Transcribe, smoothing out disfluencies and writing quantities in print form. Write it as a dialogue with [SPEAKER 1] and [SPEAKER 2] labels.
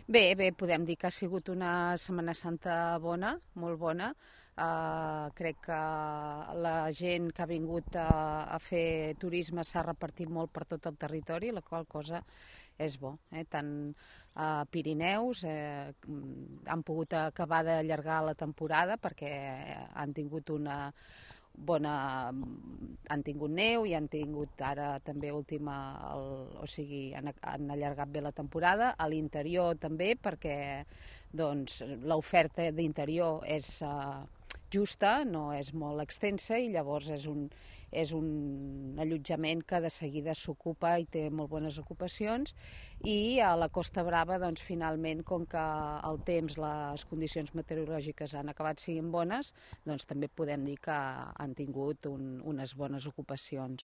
[SPEAKER 1] Bé, podem dir que ha sigut una Setmana Santa bona, molt bona. Crec que la gent que ha vingut a fer turisme s'ha repartit molt per tot el territori, la qual cosa és bo. Tant a Pirineus han pogut acabar d'allargar la temporada perquè han tingut una han tingut neu i han tingut ara també o sigui, han allargat bé la temporada. A l'interior també, perquè doncs, l'oferta d'interior és justa, no és molt extensa i llavors és un allotjament que de seguida s'ocupa i té molt bones ocupacions. I a la Costa Brava, doncs, finalment, com que el temps, les condicions meteorològiques han acabat sent bones, doncs també podem dir que han tingut unes bones ocupacions.